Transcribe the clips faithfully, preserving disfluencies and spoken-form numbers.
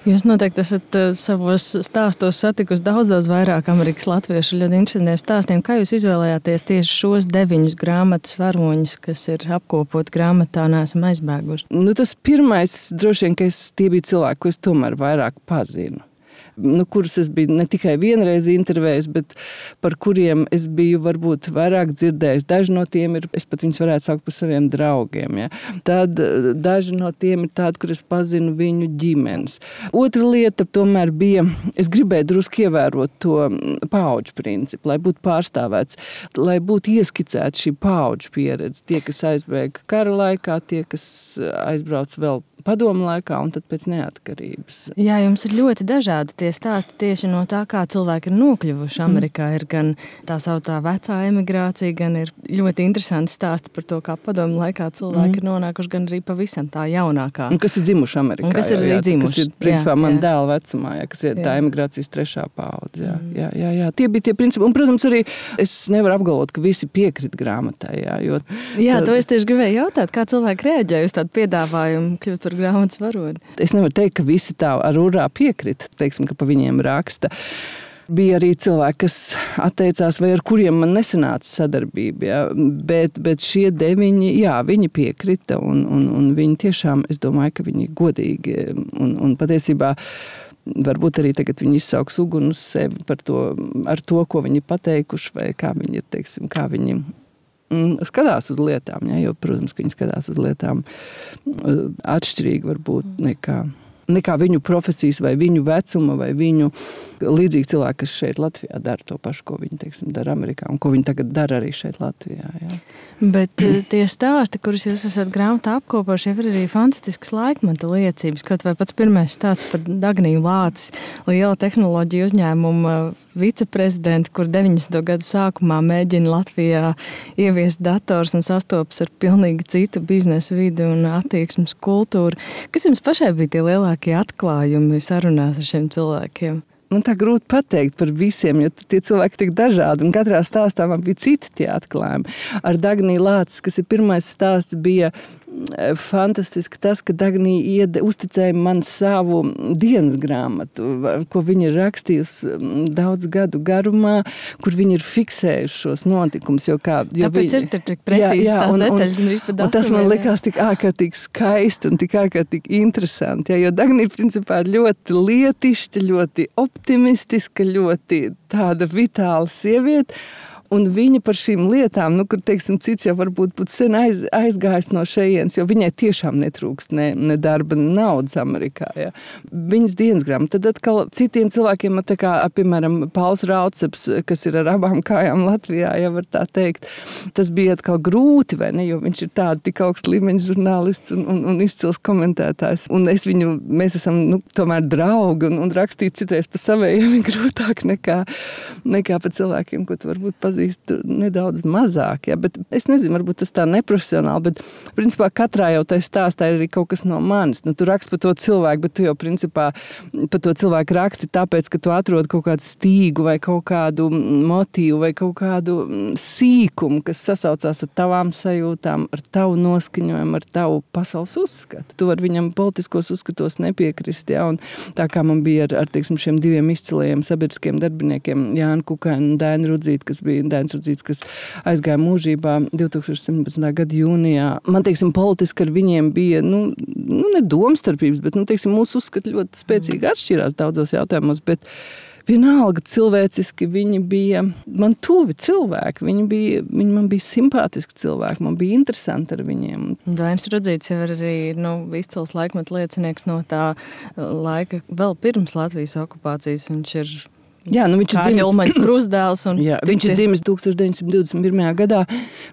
Jūs noteikti esat savos stāstos satikusi daudz, daudz vairāk Amerikas latviešu ļoti interesantiem stāstiem. Kā jūs izvēlējāties tieši šos deviņus grāmatas varoņus, kas ir apkopot grāmatā Neesam aizbēguši? Nu, tas pirmais, droši vien, ka es, tie bija cilvēki, ko es tomēr vairāk pazinu. Nu, kurus es biju ne tikai vienreiz intervējis, bet par kuriem es biju varbūt vairāk dzirdējis. Daži no tiem ir, es pat viņus varētu saukt par saviem draugiem. Ja. Tad daži no tiem ir tādi, kur es pazinu viņu ģimenes. Otra lieta tomēr bija, es gribēju drusku ievērot to paudžu principu, lai būtu pārstāvēts, lai būtu ieskicēta šī paudžu pieredze. Tie, kas aizbēga kara laikā, tie, kas aizbrauc vēl padomu laikā un tad pēc neatkarības. Jā, jums ir ļoti dažādi tie stāsti tieši no tā, kā cilvēki ir nokļuvuši Amerikā. Ir gan tā sauktā vecā emigrācija, gan ir ļoti interesanti stāsti par to, kā padomu laikā cilvēki mm. ir nonākuši, gan arī pavisam tā jaunākā. Un kas ir dzimuši Amerikā. Un kas ir arī dzimuši. Kas ir, principā, jā, man jā. Dēla vecumā, jā, kas ir jā. Tā emigrācijas trešā paudze. Jā, mm. jā, jā, jā. Tie bija tie principi. Un, protams, arī es nevaru apgalvot, ka visi piekrit grāmatai. Jā, jo, jā tā... to es tieši gribēju jautāt, kā cilvēki reaģēja uz tādu piedāvājumu kļūt par grāmatas varoni. Es nevaru teikt, ka visi tā ar urā piekrita, teiksim, ka pa viņiem raksta. Bija arī cilvēki, kas atteicās, vai ar kuriem man nesanāca sadarbība, ja? bet, bet šie deviņi, jā, viņi piekrita, un, un, un viņi tiešām, es domāju, ka viņi godīgi, un, un patiesībā varbūt arī tagad viņi izsauks uguni uz sevi par to, ar to, ko viņi pateikuši, vai kā viņi ir, teiksim, kā viņi skatās uz lietām, ja, jo, protams, ka viņi skatās uz lietām atšķirīgi varbūt nekā, nekā viņu profesijas vai viņu vecuma vai viņu līdzīgi cilvēki, kas šeit Latvijā dara to pašu, ko viņi, teiksim, dara Amerikā un ko viņi tagad dara arī šeit Latvijā. Ja. Bet tie stāsti, kurus jūs esat grāmatā apkopoši, ir arī fantastiskas laikmeta liecības, kaut vai pats pirmais stāsts par Dagniju Lācis, liela tehnoloģija uzņēmuma viceprezidenti, kur deviņdesmito gadu sākumā mēģina Latvijā ieviest dators un sastopas ar pilnīgi citu biznesa vidi un attieksmes kultūru. Kas jums pašai bija tie lielākie atklājumi sarunās ar šiem cilvēkiem? Man tā grūti pateikt par visiem, jo tie cilvēki tik dažādi, un katrā stāstā man bija citi tie atklājumi. Ar Dagniju Lācis, kas ir pirmais stāsts, bija fantastiski tas, ka Dagnija iede, uzticēja man savu dienas grāmatu, ko viņa ir rakstījusi daudz gadu garumā, kur viņa ir fiksējuši šos notikumus. Jo kā, jo Tāpēc viņa, ir tik precīzi tās detaļas, gan arī pa datumiem. Un tas man likās tik ārkārtīgi skaisti un tik ārkārtīgi interesanti, ja, jo Dagnija principā ir ļoti lietišķa, ļoti optimistiska, ļoti tāda vitāla sieviete. Un viņa par šīm lietām, nu, kur, teiksim, cits jau varbūt būtu sen aiz, aizgājis no šejienes, jo viņai tiešām netrūkst ne, ne darba, ne naudas Amerikā. Ja. Viņas dienas grāmata. Tad atkal citiem cilvēkiem, tā kā, piemēram, Pauls Rauceps, kas ir ar abām kājām Latvijā, ja var tā teikt, tas bija atkal grūti, vai ne, jo viņš ir tāda tik augsta līmeņa žurnālists un, un, un izcils komentētājs. Un es viņu, mēs esam, nu, tomēr draugi, un, un rakstīt citreiz pa savējiem ir grūtāk nekā, nekā pa cilvēkiem, ko tu varbūt pazīst nedaudz mazāk, ja, bet es nezinu, varbūt tas tā neprofesionāli, bet principā katrā jau tai stāstā ir arī kaut kas no manis. Nu, tu raksti par to cilvēku, bet tu jau principā par to cilvēku raksti tāpēc, ka tu atrod kaut kādu stīgu vai kaut kādu motīvu vai kaut kādu sīkumu, kas sasaucās ar tavām sajūtām, ar tavu noskaņojumu, ar tavu pasaules uzskatu. Tu var viņam politiskos uzskatos nepiekrist, ja, un tā kā man bija ar, ar teiksim, šiem diviem izcilajiem sabiedriskiem darbiniekiem, Jānu Kukainu un Dainu Rudzīti, kas bija Dainis Rudzīts, kas aizgāja mūžībā divtūkstoš septiņpadsmitā gada jūnijā. Man, teiksim, politiski ar viņiem bija, nu, nu ne domstarpības, bet, nu, teiksim, mūsu uzskati ļoti spēcīgi atšķirās daudzos jautājumos, bet vienalga cilvēciski viņi bija man tuvi cilvēki, viņi bija, viņi man bija simpātiski cilvēki, man bija interesanti ar viņiem. Dainis Rudzīts jau ir arī, nu, izcils laikmeta liecinieks no tā laika vēl pirms Latvijas okupācijas. Viņš ir Jā, nu viņš ir dzimis krustdēls. Un jā, viņš ir dzimis tūkstoš deviņsimt divdesmit pirmajā gadā.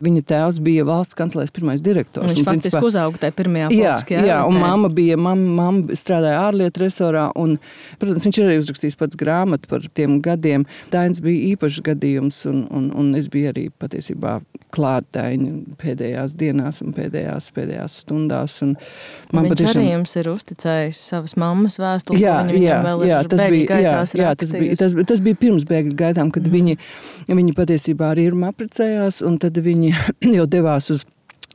Viņa tēvs bija valsts kancelēs pirmais direktors. Viņš un, faktiski principā, uzauga tajā pirmajā politiskajā. Jā, jā, un mamma bija, mamma, mamma strādāja ārlietu resorā, un, protams, viņš ir arī uzrakstījis pats grāmatu par tiem gadiem. Dainis bija īpašs gadījums, un, un, un es biju arī patiesībā klāt Daini pēdējās dienās un pēdējās, pēdējās stundās. Un man viņš patiešām... arī jums ir uzticējis savas mammas vēstuli, jā, ko viņa jā, vēl jā, ir bēgļu gaitās jā, jā, tas bija, tas, tas bija pirms bēgļu gaitām, kad mm. viņi, viņi patiesībā arī ir apprecējās, un tad viņi jau devās uz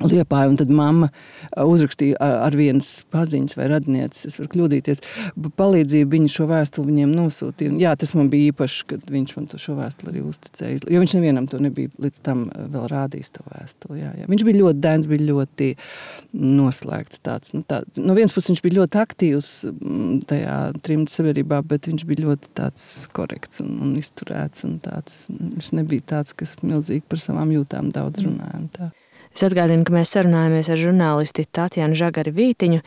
Liepāju, un tad mamma uzrakstīja ar vienas paziņas vai radnieces, es varu kļūdīties, palīdzību viņa šo vēstuli viņiem nosūtīja. Jā, tas man bija īpaši, kad viņš man to šo vēstuli arī uzticēja, jo viņš nevienam to nebija līdz tam vēl rādījis to vēstuli. Jā, jā. Viņš bija ļoti dēns, bija ļoti noslēgts tāds. Nu, tā, no vienas puses viņš bija ļoti aktīvs tajā trimta sabiedrībā, bet viņš bija ļoti tāds korekts un, un izturēts un tāds, viņš nebija tāds, kas milzīgi par savām jūtām daudz runāja un tā. Es atgādinu, ka mēs sarunājamies ar žurnālisti Tatjanu Žagari-Vītiņu.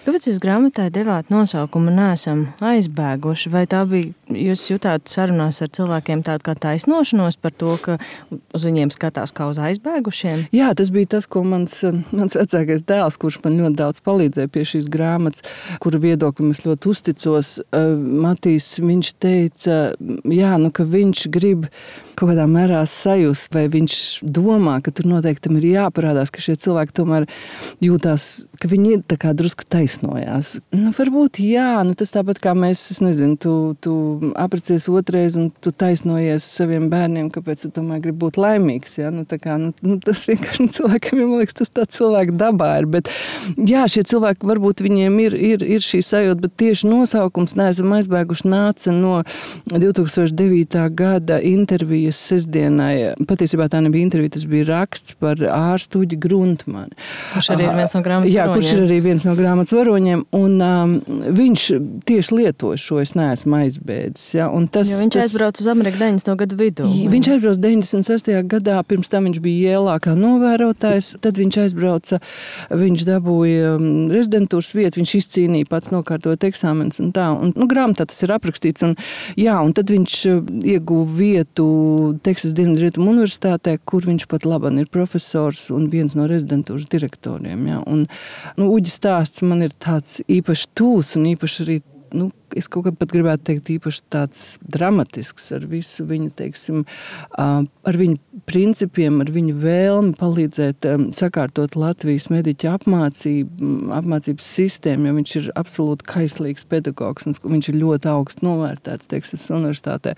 Kāpēc jūs grāmatai devāt nosaukumu Neesam aizbēguši? Vai tā bija, jūs jutāt sarunās ar cilvēkiem tādu kā taisnošanos par to, ka uz viņiem skatās kā uz aizbēgušiem? Jā, tas bija tas, ko mans, mans vecākais dēls, kurš man ļoti daudz palīdzēja pie šīs grāmatas, kura viedoklim es ļoti uzticos. Matīs, viņš teica, jā, nu, ka viņš grib kaut kādā mērā sajust, vai viņš domā, ka tur noteikti tam ir jāparādās, ka šie cilvēki tomēr jūtās, ka viņi tā kā drusku taisnojās. Nu, varbūt jā, nu tas tāpat kā mēs, es nezinu, tu, tu aprecies otrais un tu taisnojies saviem bērniem, kāpēc tu tomēr gribi būt laimīgs, jā, nu tā kā, nu, nu tas vienkārši cilvēkiem, man liekas, tas tā cilvēka dabā ir, bet jā, šie cilvēki varbūt viņiem ir, ir, ir šī sajūta, bet tieši nosaukums Neesam aizbēguši nāca no divi tūkstoši devītā gada interviju sestdienai. Patiesībā tā nebija intervija, tas bija raksts par ārstu Uģi Gruntmani. Kurš arī ir viens no grāmatas jā, varoņiem. kurš ir arī viens no grāmatas varoņiem. Un um, viņš tieši lietoja šo es neesmu aizbēdzis. Ja, un tas, jo viņš tas, aizbrauca uz Ameriku deviņdesmito gadu vidū. Viņš aizbrauca deviņdesmit sestajā gadā, pirms tam viņš bija Jēlā kā novērotājs. Tad viņš aizbrauca, viņš dabūja rezidentūras vietu, viņš izcīnīja pats nokārtot eksāmenes un tā. Un, nu, grāmatā tas ir aprakstīts. Un, jā, un tad viņš ieguva vietu Teksas Dienvidrietumu universitātē, kur viņš pat labāk ir profesors un viens no rezidentūras direktoriem. Ja? Un, nu, Uģis stāsts man ir tāds īpaši tūs un īpaši arī, nu, es kaut kā pat gribētu teikt, īpaši tāds dramatisks ar visu viņa, teiksim, ar viņu principiem, ar viņu vēlmi palīdzēt sakārtot Latvijas mediķu apmācību, apmācības sistēmu, jo viņš ir absolūti kaislīgs pedagogs un viņš ir ļoti augsts novērtēts Teksas universitātē.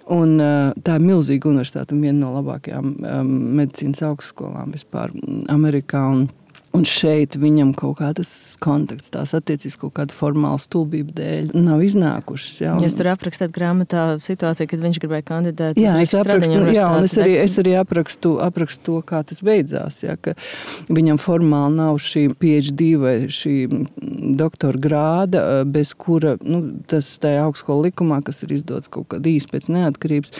Un tā ir milzīga universitāte un viena no labākajām um, medicīnas augstskolām vispār Amerikā. Un, un šeit viņam kaut kādas kontakts, tās attiecības kaut kāda formāla stulbība dēļ nav iznākušas. Jā, un, jūs tur aprakstāt grāmatā situāciju, kad viņš gribēja kandidēt jā, uz Rīgas Stradiņu universitāti. Jā, un es arī, es arī aprakstu, aprakstu to, kā tas beidzās. Jā, ka viņam formāli nav šī P H D vai šī doktora grāda, bez kura, nu, tas tajā augstskola likumā, kas ir izdots kaut kādā īsi pēc neatkarības,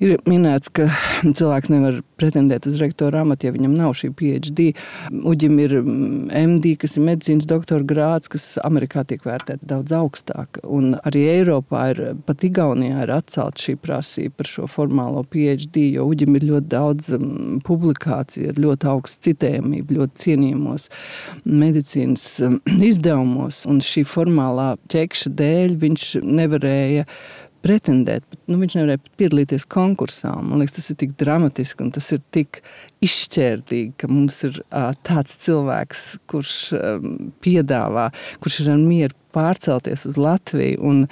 ir minēts, ka cilvēks nevar pretendēt uz rektora amatu, ja viņam nav šī P H D. Uģim ir M D, kas ir medicīnas doktora grāds, kas Amerikā tiek vērtēts daudz augstāk. Un arī Eiropā ir, pat Igaunijā ir atcelt šī prasība par šo formālo P H D, jo Uģim ir ļoti daudz um, publikāciju, ir ļoti augsts citējamība, ļoti cienījumos medicīnas um, izdevumos. Un šī formālā ķekša dēļ viņš nevarēja pretendēt, bet nu, viņš nevarēja piedalīties konkursā. Man liekas, tas ir tik dramatiski un tas ir tik izšķērdīgi, ka mums ir uh, tāds cilvēks, kurš um, piedāvā, kurš ir ar mieru pārcelties uz Latviju. Un,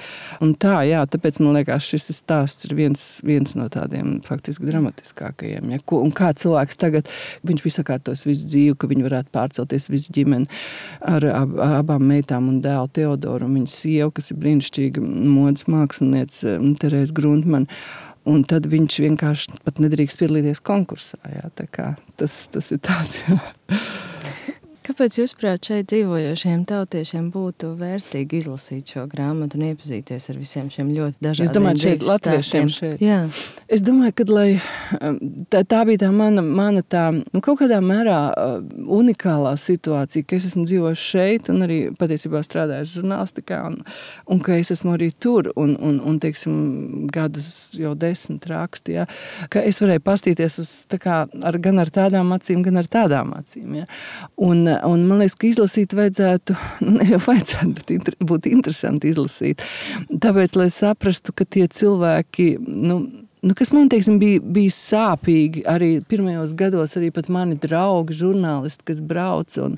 un tā, jā, tāpēc man liekas, šis stāsts ir viens, viens no tādiem faktiski dramatiskākajiem. Ja? Ko, un kā cilvēks tagad, viņš bija sakārtojis visu dzīvi, ka viņi varētu pārcelties visu ģimeni ar ab, abām meitām un dēlu Teodoru un viņas sievu, kas ir brīnišķīga modes māksliniece Terēza Gruntmani. Un tad viņš vienkārši pat nedrīkst piedalīties konkursā. Jā, tā kā tas, tas ir tāds, jā. Kāpēc jūs, prāt, šeit dzīvojošiem tautiešiem būtu vērtīgi izlasīt šo grāmatu un iepazīties ar visiem šiem ļoti dažādiem es domāju, šeit latviešiem šeit. Jā. Es domāju, ka lai, tā, tā bija tā mana, mana tā, nu, kaut kādā mērā unikālā situācija, ka es esmu dzīvojis šeit un arī patiesībā strādājis žurnālistikā un, un ka es esmu arī tur un, un, un teiksim, gadus jau desmit rakstu, ja, ka es varēju pastīties uz, tā kā, ar, gan ar tādām acīm, gan ar tādām acīm. Ja. Un, un man liekas, ka izlasīt vajadzētu, ne jau vajadzētu, bet inter, būtu interesanti izlasīt. Tāpēc, lai saprastu, ka tie cilvēki, nu, nu, kas man, teiksim, bija, bija sāpīgi arī pirmajos gados, arī pat mani draugi, žurnālisti, kas brauc un,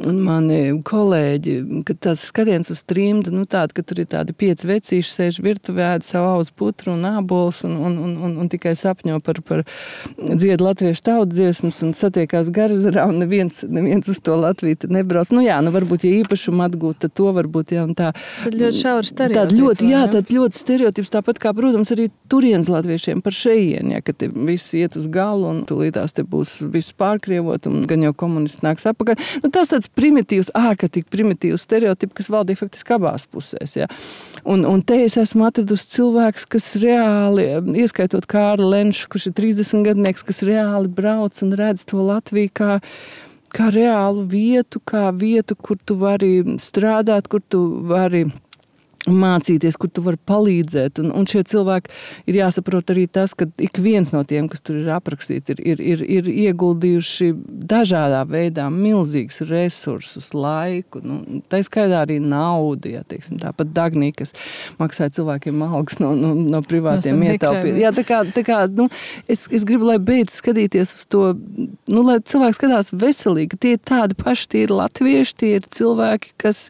un mani kolēģi, kad tas skatiens uz trimdu, nu tāda, ka tur ir tādi pieci vecīši sēž virtuvē, ēd savu auzu putru un ābols un, un, un, un, un tikai sapņo par, par dziedu latviešu tautsdziesmas un satiekās Garzarā un neviens, neviens uz to Latviju nebrauc. Nu jā, nu varbūt, ja īpašumu atgūt, tad to varbūt, jā, un tā. Tad ļoti šauri stereotipi. Tād ļoti, jā, tāds ļoti stereotips, tāpat kā, protams, arī turienes latviešiem par šejienu, ja, ka te viss iet uz galu un tūlītās te būs viss pārkrievot un gan jau komunisti nāks apakaļ. Nu, tas tāds primitīvs, ārkārtīgi primitīvs stereotips, kas valdīja faktiski abās pusēs. Ja. Un, un te es esmu atradusi cilvēks, kas reāli, ieskaitot Kārli Lenšu, kurš ir trīsdesmit gadnieks, kas reāli brauc un redz to Latviju kā kā reālu vietu, kā vietu, kur tu vari strādāt, kur tu vari mācīties, kur tu vari palīdzēt. Un, un šie cilvēki ir jāsaprot arī tas, ka ik viens no tiem, kas tur ir aprakstīti, ir, ir, ir, ir ieguldījuši dažādā veidā milzīgus resursus, laiku. Nu, tā skaitā arī naudu, ja, teiksim, tāpat Dagnī, kas maksāja cilvēkiem algas no, no, no privātiem ietaupīt. Jā, tā kā, tā kā nu, es, es gribu, lai beidz skatīties uz to, nu, lai cilvēki skatās veselīgi. Tie ir tādi paši, tie ir latvieši, tie ir cilvēki, kas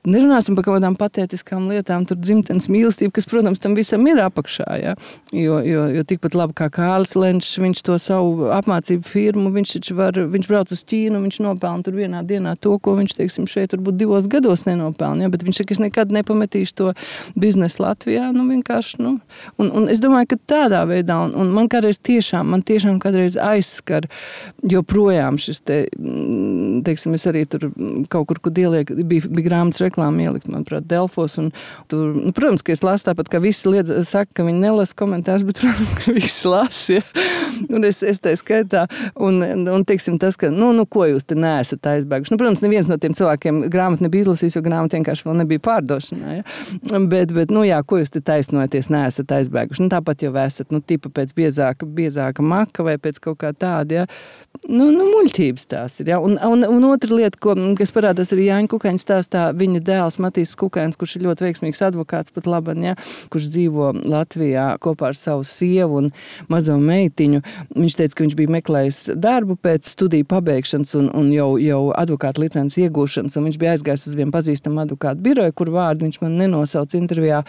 nerunāsim par kaut kādām patētiskām lietām, tur dzimtenes mīlestība, kas, protams, tam visam ir apakšā, ja? jo, jo, jo tikpat labi kā Kārlis Lenčs, viņš to savu apmācību firmu, viņš taču var, viņš brauc uz Ķīnu, viņš nopelna tur vienā dienā to, ko viņš, teiksim, šeit varbūt divos gados nenopelna, ja? Bet viņš saka, es nekad nepametīšu to biznesu Latvijā, nu vienkārši, nu, un, un es domāju, ka tādā veidā, un, un man kādreiz tiešām, man tiešām kādreiz aizskar, joprojām šis te, teiksim, es arī tur kaut kur, kur ieliek, bija, bija grāmatas reklāma ielikt, manuprāt, Delfos, un tur, nu, protams, ka es lasu tāpat, ka visi liedz, saka, ka viņi nelasa komentārus, bet, protams, ka visi lasa, ja. Un es, es tā skaitā, un, un teiksim tas, ka, nu, nu, ko jūs te neesat aizbēguši. Nu, protams, neviens no tiem cilvēkiem grāmatu nebija izlasījis, jo grāmata vienkārši vēl nebija pārdošanā, ja. Bet, bet, nu, jā, ko jūs te taisnojaties, neesat aizbēguši. Nu, tāpat jau esat, nu, tipa pēc biezāka, biezāka maka vai pēc kaut kā tāda, ja. Nu, nu, muļķības tās ir, ja. Un, un, un otra lieta, ko, kas parādās arī Jāņa Kukaiņa stāstā, viņa dēls Matīs Kukains, kurš ir ļoti veiksmīgs advokāts pat laban, ja, kurš dzīvo Latvijā kopā ar savu sievu un mazo meitiņu. Viņš teica, ka viņš bija meklējis darbu pēc studiju pabeigšanas un, un jau, jau advokāta licences iegūšanas, un viņš bija aizgājis uz vienu pazīstamu advokātu biroju, kur vārdu viņš man nenosauc intervijā.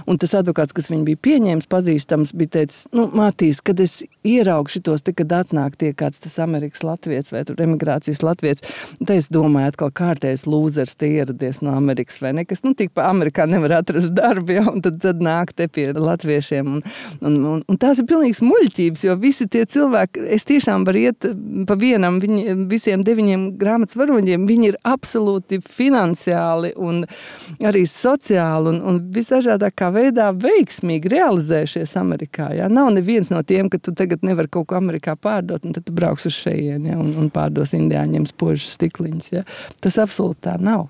Un tas advokāts, kas viņu bija pieņēmis, pazīstams, bija teicis, nu, Matīs, kad es ieraugu šitos, te, kad atnāk tie kāds tas Amerikas latviets vai tur emigrācijas latviets, te es domāju, atkal kārtējs lūzers te ieradies no Amerikas vai nekas, nu, tik pa Amerikā nevar atrast darbu, ja, un tad, tad nāk te pie latviešiem, un, un, un, un tās ir pilnīgs muļķības, jo visi tie cilvēki, es tiešām varu iet pa vienam, viņi, visiem deviņiem grāmatas varoņiem, viņi ir absolūti finansiāli un arī sociāli un, un visdažādākā veidā veiksmīgi realizējušies Amerikā, ja. Nav neviens no tiem, ka tu tagad nevar kaut ko Amerikā pārdot, un tad tu brauks uz šejien, ja, un, un pārdos indiāņiem spožas stikliņas, ja. Tas absolūti tā nav.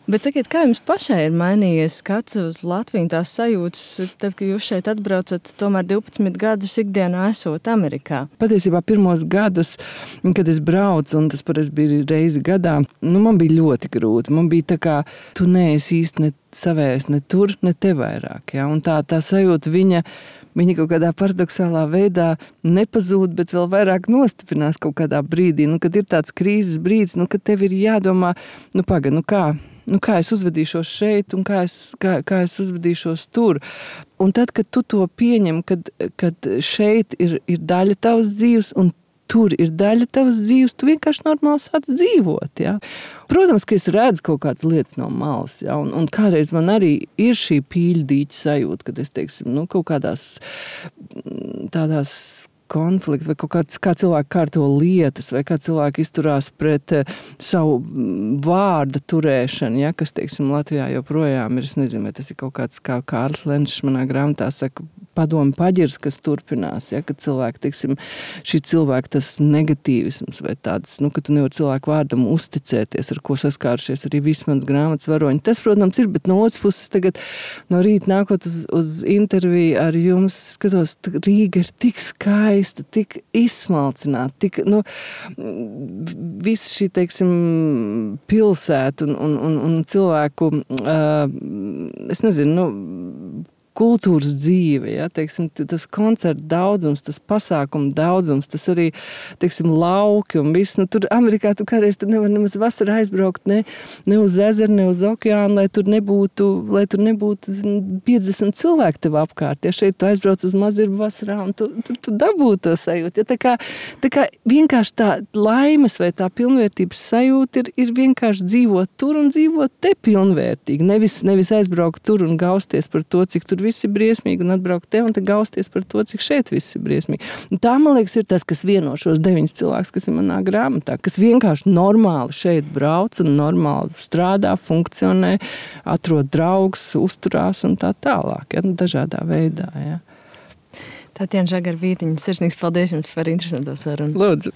Bet sakiet, kā jums pašai ir mainījies skats uz Latviju, tās sajūtas, tad, kad jūs šeit atbraucat, tomēr divpadsmit gadus ikdienā esot Amerikā? Patiesībā pirmos gadus, kad es braucu, un tas pareiz bija reizi gadā, nu, man bija ļoti grūti. Man bija tā kā, tu neesi īsti ne savējais, ne tur, ne te vairāk. Ja? Un tā, tā sajūta viņa, viņa kaut kādā paradoxālā veidā nepazūd, bet vēl vairāk nostiprinās kaut kādā brīdī. Nu, kad ir tāds krīzes brīdis, nu, kad tev ir jādomā, nu, paga, nu kā? Nu, kā es uzvedīšos šeit un kā es, kā, kā es uzvedīšos tur. Un tad, kad tu to pieņem, kad, kad šeit ir, ir daļa tavas dzīves un tur ir daļa tavas dzīves, tu vienkārši normāli sāc dzīvot. Ja? Protams, ka es redzu kaut kādas lietas no malas, ja? un, un kādreiz man arī ir šī pīļdīķa sajūta, kad es, teiksim, nu, kaut kādās tādās konflikti, vai kaut kāds, kā cilvēki kārto lietas, vai kā cilvēki izturās pret uh, savu vārda turēšanu, ja, kas, teiksim, Latvijā joprojām ir, es nezinu, vai tas ir kaut kāds, kā Kārlis Lenčs manā grāmatā saka, padomu paģirs, kas turpinās, ja, kad cilvēki, teiksim, šī cilvēka tas negatīvisms vai tāds, nu, ka tu nevar cilvēku vārdam uzticēties, ar ko saskārušies arī visi mans grāmatas varoņi. Tas, protams, ir, bet no otras puses tagad no rīta nākot uz, uz interviju ar jums, skatos, Rīga ir tik skaista, tik izsmalcināta, tik, nu, viss šī, teiksim, pilsēta un, un, un, un cilvēku, uh, es nezinu, nu, kultūras dzīve, ja, teiksim, tas koncertu daudzums, tas pasākumu daudzums, tas arī, teiksim, lauki un viss. Nu, tur Amerikā tu kādreiz tur nevar nemaz vasarā aizbraukt ne, ne uz ezeru, ne uz okeānu, lai tur nebūtu, lai tur nebūtu piecdesmit cilvēki tev apkārt. Ja šeit tu aizbrauc uz Mazirbu vasarā un tu, tu, tu dabūtu to sajūtu. Ja, tā kā, tā kā vienkārši tā laimes vai tā pilnvērtības sajūta ir, ir vienkārši dzīvot tur un dzīvot te pilnvērtīgi. Nevis, nevis aizbraukt tur un gausties par to, cik tur viss ir briesmīgi un atbraukt te un te gausties par to, cik šeit viss ir briesmīgi. Un tā, man liekas, ir tas, kas vieno šos deviņus cilvēkus, kas ir manā grāmatā, kas vienkārši normāli šeit brauc un normāli strādā, funkcionē, atrod draugus, uzturās un tā tālāk, ja, dažādā veidā, ja. Tatjana Žagara-Vītiņa, sirsnīgs paldies jums par interesanto sarunu. Lūdzu.